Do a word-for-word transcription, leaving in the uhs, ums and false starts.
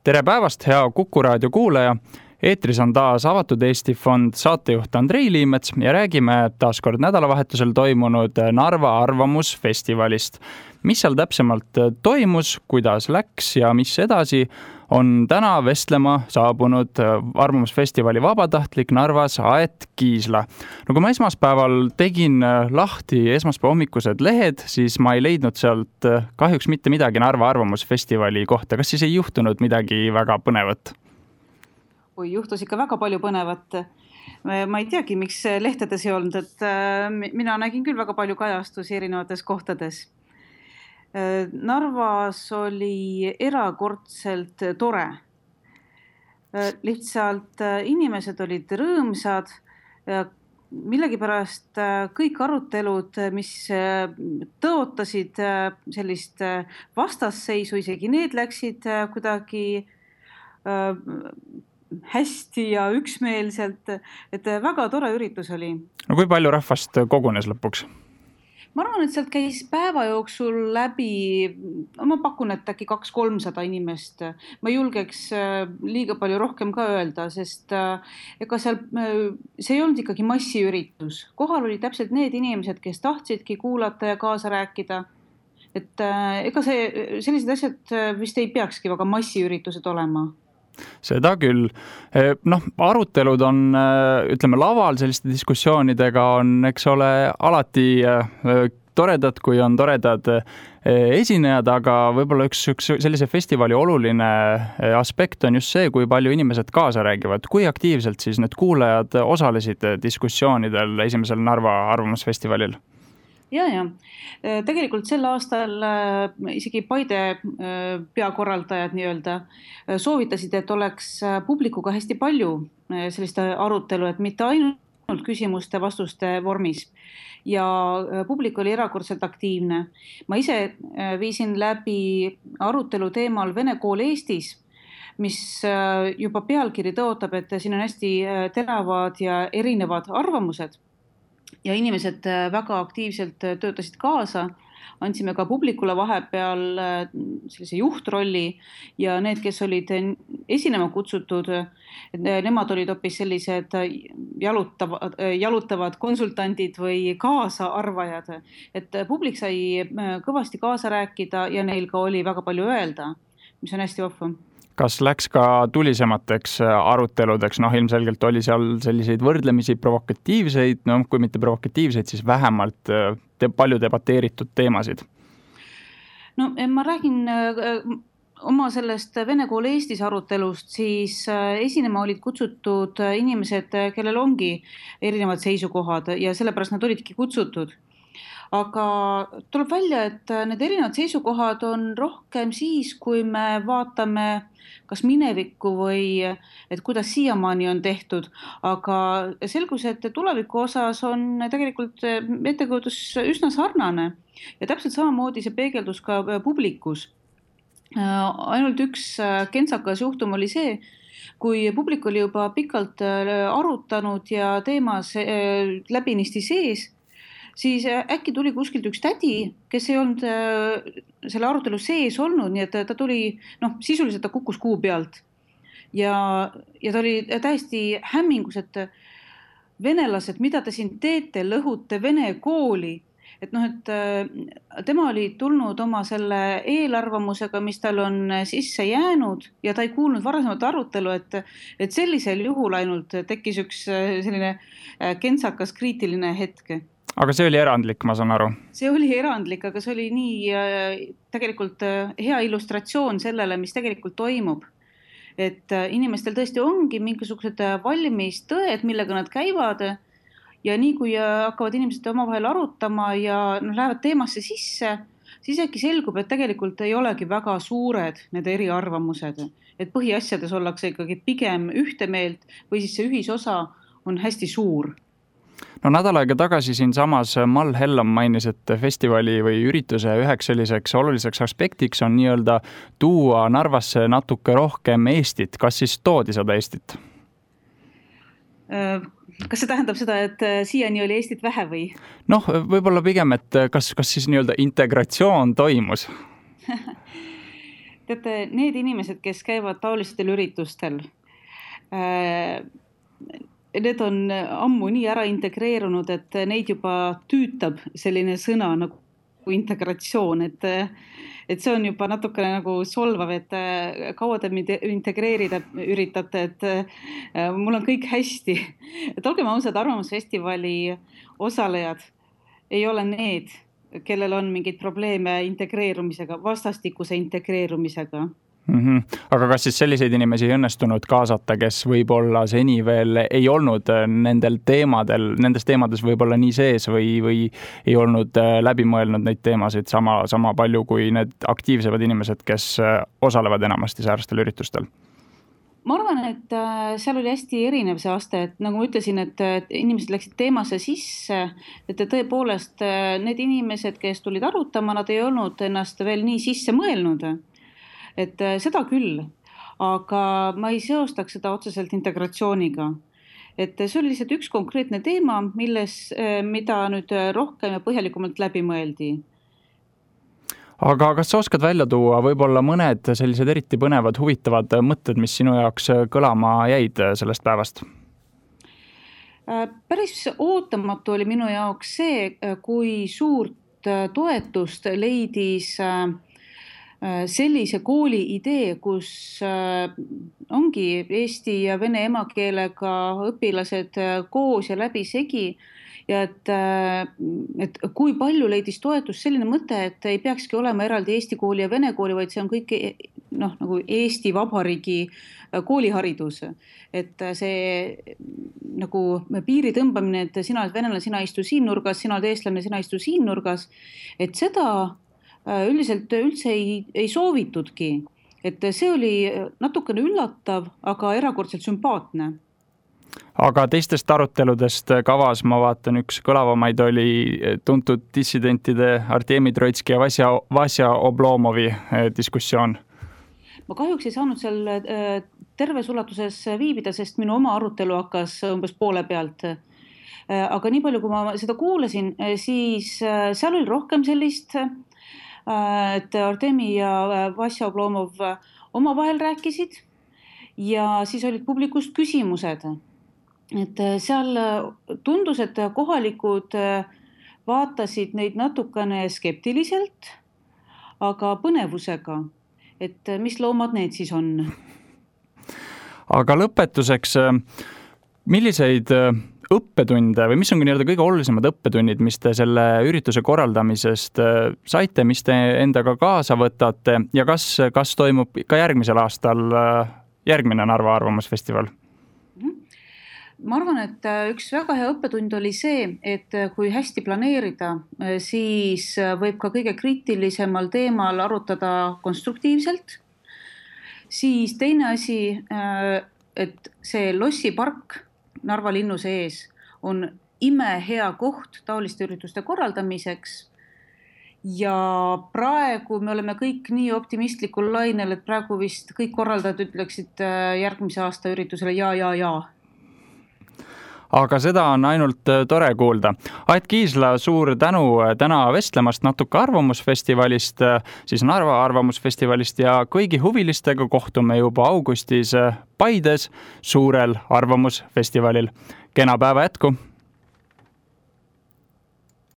Tere päevast, hea Kuku raadio kuulaja! Eetris on taas Avatud Eesti Fond saatejuht Andrei Liimets ja räägime taas kord nädalavahetusel toimunud Narva arvamusfestivalist. Mis seal täpsemalt toimus, kuidas läks ja mis edasi, on täna vestlema saabunud arvamusfestivali vabatahtlik Narvas Aet Kiisla. No kui ma esmaspäeval tegin lahti esmaspäeva hommikused lehed, siis ma ei leidnud sealt kahjuks mitte midagi Narva arvamusfestivali kohta. Kas siis ei juhtunud midagi väga põnevat? Kui juhtus ikka väga palju põnevat. Ma ei teagi, miks lehtedes ei olnud, et mina nägin küll väga palju kajastusi erinevates kohtades. Narvas oli erakordselt tore. Lihtsalt inimesed olid rõõmsad. Millegipärast kõik arutelud, mis tõotasid sellist vastasseisu, isegi need läksid kuidagi hästi ja üksmeelselt, et väga tore üritus oli. No kui palju rahvast kogunes lõpuks? Ma arvan, et sealt käis päeva jooksul läbi, ma pakun, et äkki kaks kolmsada inimest. Ma julgeks liiga palju rohkem ka öelda, sest ega seal, see ei olnud ikkagi massiüritus. Kohal oli täpselt need inimesed, kes tahtsidki kuulata ja kaasa rääkida. Et ega see, sellised asjad vist ei peakski väga massiüritused olema. Seda küll. Noh, arutelud on, ütleme, laval selliste diskussioonidega on, eks ole, alati toredad, kui on toredad esinejad, aga võib-olla üks, üks sellise festivali oluline aspekt on just see, kui palju inimesed kaasa räägivad. Kui aktiivselt siis need kuulajad osalesid diskussioonidel esimesel Narva arvamusfestivalil? Ja, ja. Tegelikult sel aastal isegi Paide peakorraldajad nii-öelda soovitasid, et oleks publikuga hästi palju sellist arutelu, et mitte ainult küsimuste vastuste vormis. Ja publik oli erakordselt aktiivne. Ma ise viisin läbi arutelu teemal Vene kool Eestis, mis juba pealkiri tõotab, et siin on hästi teravad ja erinevad arvamused. Ja inimesed väga aktiivselt töötasid kaasa, andsime ka publikule vahepeal sellise juhtrolli ja need, kes olid esinema kutsutud, nemad olid hoopis sellised jalutavad, jalutavad konsultandid või kaasaarvajad. Et publik sai kõvasti kaasa rääkida ja neil ka oli väga palju öelda, mis on hästi vahva. Kas läks ka tulisemateks aruteludeks? Noh, ilmselgelt oli seal selliseid võrdlemisi provokatiivseid, no kui mitte provokatiivseid, siis vähemalt te, palju debateeritud teemasid. No ma räägin oma sellest Vene kool Eestis arutelust, siis esinema olid kutsutud inimesed, kellel ongi erinevad seisukohad ja sellepärast nad olidki kutsutud. Aga tuleb välja, et need erinevad seisukohad on rohkem siis, kui me vaatame kas minevikku või et kuidas siiamaani on tehtud. Aga selgus, et tuleviku osas on tegelikult ettekujutus üsna sarnane ja täpselt samamoodi see peegeldus ka publikus. Ainult üks kentsakas juhtum oli see, kui publik oli juba pikalt arutanud ja teemas läbinisti sees, siis äkki tuli kuskilt üks tädi, kes ei olnud selle arutelu sees olnud, nii et ta tuli, noh, sisuliselt ta kukkus kuu pealt. Ja, ja ta oli täiesti hämmingus, et venelased, mida te siin teete, lõhute Vene kooli. Et noh, et tema oli tulnud oma selle eelarvamusega, mis tal on sisse jäänud ja ta ei kuulnud varasemat arutelu, et, et sellisel juhul ainult tekkis üks selline kentsakas kriitiline hetke. Aga see oli erandlik, ma saan aru. See oli erandlik, aga see oli nii tegelikult hea illustratsioon sellele, mis tegelikult toimub. Et inimestel tõesti ongi mingisugused valmis tõed, millega nad käivad ja nii kui hakkavad inimesed omavahel arutama ja no, lähevad teemasse sisse, siis äkki selgub, et tegelikult ei olegi väga suured need eriarvamused. Et põhiasjades ollakse ikkagi pigem ühte meelt või siis see ühisosa on hästi suur. No nädal aega tagasi siin samas Mall Hellam mainis, et festivali või ürituse üheks selliseks oluliseks aspektiks on nii-öelda tuua Narvasse natuke rohkem Eestit. Kas siis toodi seda Eestit? Kas see tähendab seda, et siiani oli Eestit vähe või? Noh, võib-olla pigem, et kas, kas siis nii-öelda integratsioon toimus? teate, need inimesed, kes käivad taolistel üritustel, need on ammu nii ära integreerunud, et neid juba tüütab selline sõna nagu integratsioon, et, et see on juba natukene nagu solvav, et kaua te integreerida üritate, et mul on kõik hästi. Et olgem ausad, Arvamusfestivali osalejad ei ole need, kellel on mingeid probleeme integreerumisega, vastastikuse integreerumisega. Mm-hmm. Aga kas siis selliseid inimesi ei õnnestunud kaasata, kes võib-olla seni veel ei olnud nendel teemadel, nendes teemades võib-olla nii sees või, või ei olnud läbi mõelnud neid teemasid sama, sama palju kui need aktiivsemad inimesed, kes osalevad enamasti säärastel üritustel? Ma arvan, et seal oli hästi erinev see aste, et nagu ma ütlesin, et inimesed läksid teemasse sisse, et tõepoolest need inimesed, kes tulid arutama, nad ei olnud ennast veel nii sisse mõelnud. Et seda küll, aga ma ei seostaks seda otseselt integratsiooniga. Et see oli lihtsalt üks konkreetne teema, milles, mida nüüd rohkem ja põhjalikumalt läbi mõeldi. Aga kas sa oskad välja tuua võib-olla mõned sellised eriti põnevad, huvitavad mõtted, mis sinu jaoks kõlama jäid sellest päevast? Päris ootamatu oli minu jaoks see, kui suurt toetust leidis sellise kooli idee, kus ongi eesti ja vene emakeelega õpilased koos ja läbi segi ja et, et kui palju leidis toetust selline mõte, et ei peakski olema eraldi eesti kooli ja vene kooli, vaid see on kõik noh, nagu Eesti Vabariigi kooliharidus. Et see nagu piiri tõmbamine, et sina oled venelane, sina istu siin nurgas, sina oled eestlane, sina istu siin nurgas, et seda üldiselt üldse ei, ei soovitudki. Et see oli natukene üllatav, aga erakordselt sümpaatne. Aga teistest aruteludest kavas, ma vaatan, üks kõlavamaid oli tuntud dissidentide Artemi Troitski ja Vasja, Vasja Oblomovi diskussioon. Ma kahjuks ei saanud seal terves ulatuses viibida, sest minu oma arutelu hakkas umbes poole pealt. Aga nii palju, kui ma seda kuulasin, siis seal oli rohkem sellist, et Artemi ja Vasja Oblomov omavahel rääkisid ja siis olid publikust küsimused. Et seal tundus, et kohalikud vaatasid neid natukene skeptiliselt, aga põnevusega, et mis loomad need siis on. Aga lõpetuseks, milliseid õppetunde või mis on nii-öelda kõige olulisemad õppetunnid, mis te selle ürituse korraldamisest saite, mis te endaga kaasa võtate ja kas, kas toimub ka järgmisel aastal järgmine Narva Arvamusfestival? Ma arvan, et üks väga hea õppetund oli see, et kui hästi planeerida, siis võib ka kõige kriitilisemal teemal arutada konstruktiivselt. Siis teine asi, et see lossipark Narva linnu sees on ime hea koht taoliste ürituste korraldamiseks ja praegu me oleme kõik nii optimistlikul lainel, et praegu vist kõik korraldajad ütleksid järgmise aasta üritusele ja, ja, ja. Aga seda on ainult tore kuulda. Ait Kiisla, suur tänu täna vestlemast natuke Arvamusfestivalist, siis Narva Arvamusfestivalist ja kõigi huvilistega kohtume juba augustis Paides suurel Arvamusfestivalil. Kena päeva jätku!